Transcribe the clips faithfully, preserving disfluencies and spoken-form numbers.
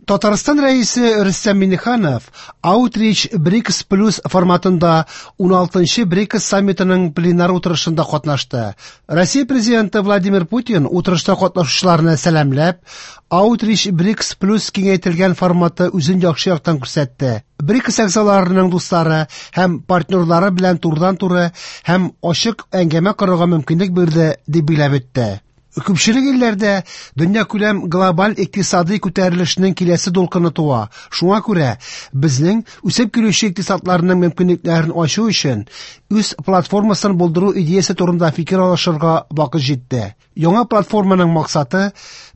Татарстан Рәисе Рөстәм Миңнеханов Outreach БРИКС Плюс форматында уналтынчы БРИКС саммитының пленар утырышында катнашты. Россия Президенты Владимир Путин утырышта катнашучыларны сәламләп, Outreach БРИКС Плюс киңәйтелгән форматы үзен яхшы яктан күрсәтте. БРИКС әгъзаларының дуслары һәм партнерлары белән турыдан-туры һәм ачык әңгәмә корырга мөмкинлек бирде, дип билгеләп үтте. Күпчелек илләрдә дөньякүләм глобаль икътисади күтәрелешнең киләсе дулкыны туа. Шуңа күрә безнең үсеп килүче икътисадларның мөмкинлекләрен ачу өчен үз платформасын булдыру идеясе турында фикер алышырга вакыт җитте. Яңа платформаның максаты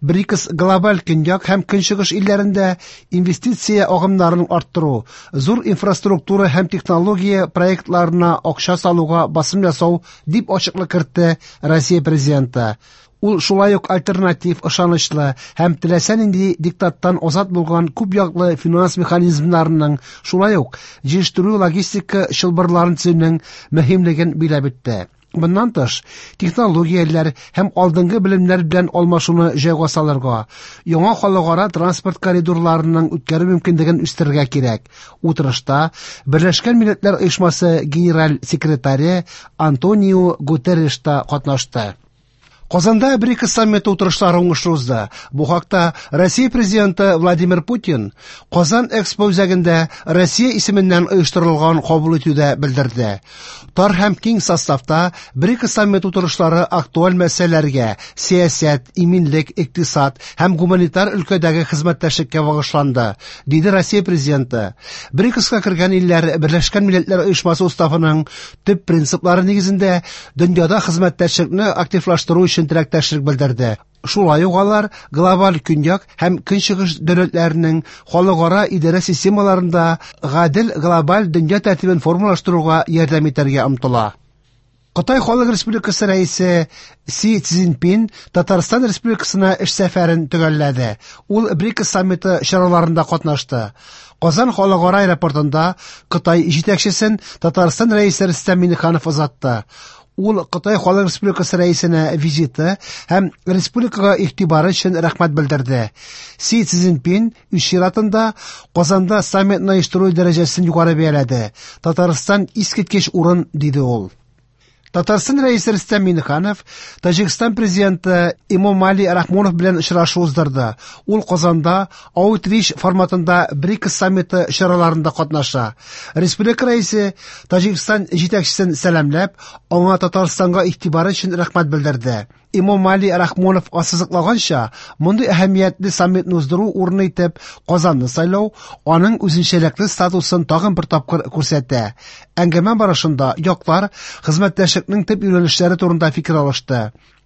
БРИКС глобаль көньяк һәм көнчыгыш илләрендә инвестиция агымнарын арттыру, зур инфраструктура һәм технология проектларына акча салуга басым ясау, дип ачыклык кертте Россия Президенты. Ул шулай ук альтернатив, ышанычлы һәм теләсә нинди диктаттан азат булган күп яклы финанс механизмнарының, шулай ук җитештерү логистика чылбырларын төзүнең мөһимлеген билгеләп үтте. Моннан тыш, технологияләр һәм алдынгы белемнәр белән алмашуны җайга салырга, яңа халыкара транспорт коридорларының үткәрү мөмкинлеген үстерергә кирәк. Утырышта Берләшкән Милләтләр Оешмасы генераль секретаре Антонио Гутерреш та катнашты. Казанда БРИКС саммиты утырышлары уңышлы узды. Бу хакта Россия Президенты Владимир Путин Казан Экспо үзәгендә Россия исеменнән оештырылган кабул итүдә белдерде. Тар һәм киң составта БРИКС саммиты утырышлары актуаль мәсьәләләргә, сәясәт, иминлек, икътисад һәм гуманитар өлкәдәге хезмәттәшлеккә багышланды, диде Россия Президенты. БРИКСка кергән илләр Берләшкән Милләтләр Оешмасы уставының төп принциплары нигезендә дөньяда хезмәттәшлекне активлаштыру өчен теләктәшлек белдерде. Шулай ук алар глобаль көньяк һәм көнчыгыш дәүләтләренең халыкара идарә системаларында гадел глобаль дөнья тәртибен формалаштыруга ярдәм итәргә омтыла. Кытай Халык Республикасы рәисе Си Цзиньпин Татарстан Республикасына эш сәфәрен төгәлләде. Ул БРИКС саммиты чараларында катнашты. Казан халыкара аэропортында Кытай җитәкчесен Татарстан рәисе Рөстәм Миңнеханов озатты. Ул Кытай Халык Республикасы рәисенә визиты һәм республикага игътибары өчен рәхмәт белдерде. Си Цзиньпин үз чиратында Казанда саммитны оештыру дәрәҗәсен югары бәяләде. Татарстан искиткеч урын, диде ул. Татарстан рәисе Рөстәм Миңнеханов Таҗикстан президенты Эмомали Рахмонов белән очрашу уздырды. Ул Казанда Outreach форматында БРИКС саммиты чараларында катнаша. Республика рәисе Таҗикстан җитәкчесен сәламләп, аңа Татарстанга игътибары өчен рәхмәт белдерде. Эмомали Рахмонов ассызыклаганча, мондый әһәмиятле саммитны уздыру урыны итеп Казанны сайлау аның үзенчәлекле статусын тагын бер тапкыр күрсәтә. Әңгәмә барышында яклар хезмәттәшлекнең төп юнәлешләре турында фикер алышты.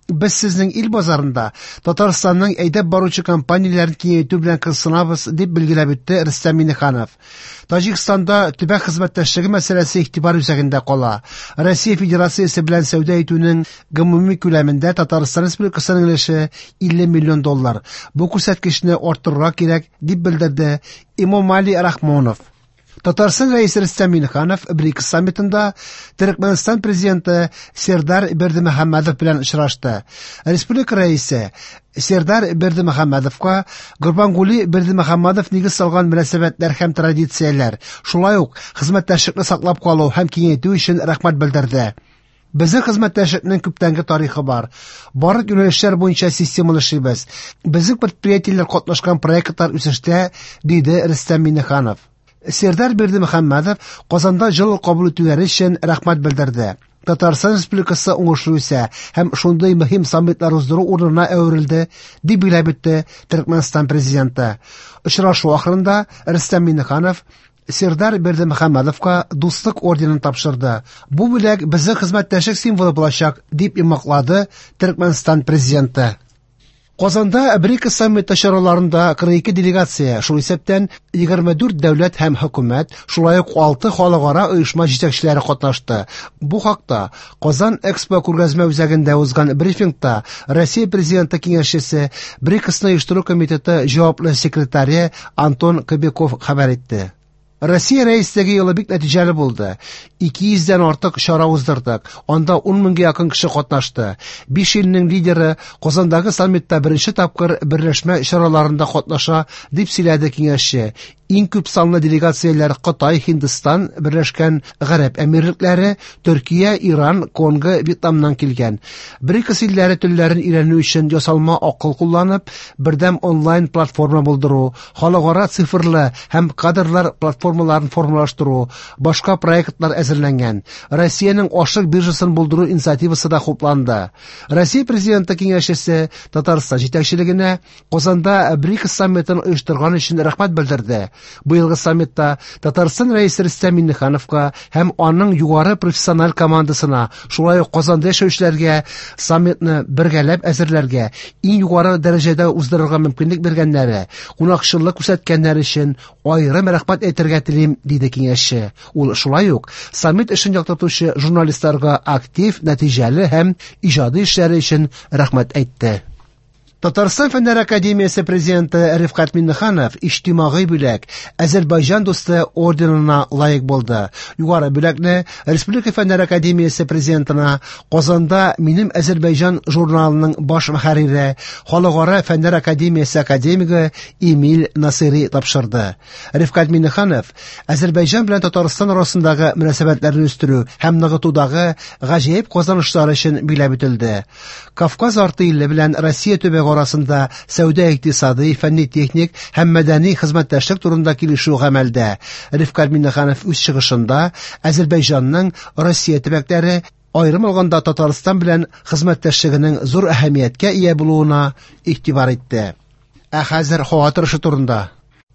Без сезнең ил базарында Татарстанның әйдәп баручы компанияләрен киңәйтү белән кызыксынабыз, дип билгеләп үтте Рөстәм Миңнеханов. Таҗикстанда төбәк хезмәттәшлеге мәсьәләсе игътибар үзәгендә кала. Россия Федерациясе белән сәүдә итүнең гомуми күләмендә Татарстан Республикасының өлеше илле миллион доллар. Бу күрсәткечне арттырырга кирәк, дип белдерде Эмомали Рахмонов. Татарстан рәисе Рөстәм Миңнеханов БРИКС саммитында Төркмәнстан президенты Сердар Бердымөхәммәдов белән очрашты. Республика рәисе Сердар Бердымөхәммәдовка Гурбангули Бердымөхәммәдов нигез салган мөнәсәбәтләр һәм традицияләр, шулай ук хезмәттәшлекне саклап калу һәм киңәйтү өчен рәхмәт белдерде. Безнең хезмәттәшлекнең күптәнге тарихы бар. Барлык юнәлешләр буенча системалы эшлибез. Безнең предприятиеләр катнашкан проектлар үсештә, диде Рөстәм Миңнеханов. Сердар Бердымөхәммәдов Казанда җылы кабул итүләре өчен рәхмәт белдерде. Татарстан Республикасы уңышлы үсә һәм шундый мөһим саммитлар уздыру урынына әверелде, дип билгеләп үтте Төркмәнстан президенты. Очрашу ахырында Рөстәм Миңнеханов Сердар Бердымөхәммәдовка Дуслык орденын тапшырды. Бу бүләк безнең хезмәттәшлек символы булачак, дип йомгаклады Төркмәнстан президенты. Казанда БРИКС саммиты чараларында кырык ике делегация, шул исәптән егерме дүрт дәүләт һәм хөкүмәт, шулай ук алты халыкара оешма җитәкчеләре катнашты. Бу хакта Казан Экспо күргәзмә үзәгендә узган брифингта Россия Президенты киңәшчесе, БРИКСны оештыру комитеты җаваплы секретаре Антон Кобяков хәбәр итте. Россия рәислеге елы бик нәтиҗәле булды. ике йөздән артык чара уздырдык. Анда ун меңгә якын кеше катнашты. Биш илнең лидеры Казандагы саммитта беренче тапкыр берләшмә чараларында катнаша, дип сөйләде киңәшче. Иң күп санлы делегацияләр Кытай, Һиндстан, Берләшкән Гарәп Әмирлекләре, Төркия, Иран, Конго, Вьетнамнан килгән. БРИКС илләре телләрен өйрәнү өчен ясалма акыл кулланып, бердәм онлайн платформа булдыру, халыкара цифрлы һәм кадрлар платформаларын формалаштыру, башка проектлар әзерләнгән. Россиянең ашык биржасын булдыру инициативасы да хупланды. Россия президенты киңәшчесе Татарстан җитәкчелегенә Казанда БРИКС саммитын оештырган өчен рәхмәт белдерде. Быелгы саммитта Татарстан рәисе Рөстәм Миңнехановка һәм аның югары профессиональ командасына, шулай ук Казанда яшәүчеләргә саммитны бергәләп әзерләргә, иң югары дәрәҗәдә уздырырга мөмкинлек биргәннәре, кунакчыллык күрсәткәннәре өчен аерым рәхмәт әйтергә телим, диде киңәшче. Ул шулай ук саммит эшен яктыртучы журналистларга актив, нәтиҗәле һәм иҗади эшләре өчен рәхмәт әйтте. Татарстан Фәннәр Академиясе президенты Рифкать Миңнеханов иҗтимагый бүләк Азәрбайҗан дусты орденына лаек булды. Югары бүләкне Республика Фәннәр Академиясе президентына Казанда Минем Азәрбайҗан журналының баш мөхәррире, Халыкара Фәннәр Академиясе академигы Эмиль Насыйри тапшырды. Рифкать Миңнеханов Азәрбайҗан белән Татарстан арасындагы мөнәсәбәтләрне үстерү һәм ныгытудагы гаҗәеп казанышлары өчен биләп үтелде. Кавказ арты иле белән Россия төбәге арасында сәүдә-икътисади, фәнни-техник һәм мәдәни хезмәттәшлек турында килешү гамәлдә. Рифкать Миңнеханов үз чыгышында Азәрбайҗанның Россия төбәкләре, аерым алганда Татарстан белән хезмәттәшлегенең зур әһәмияткә ия булуына игътибар итте. Ә хәзер һава торышы турында.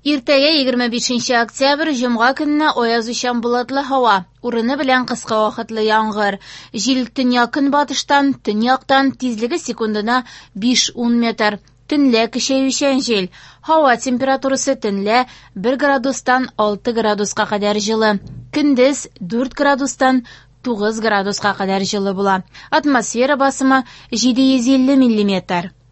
Иртәгә егерме бишенче октябрь җомга көнне аязучан болытлы һава, урыны белән кыска вакытлы яңгыр. Җил төньяк көнбатыштан, төньяктан, тизлеге секундына биш-ун метр. Төнлә көчәючән җил. Һава температурасы төнлә бер градустан алты градуска кадәр җылы. Көндез дүрт градустан тугыз градуска кадәр җылы була. Атмосфера басымы җиде йөз илле миллиметр.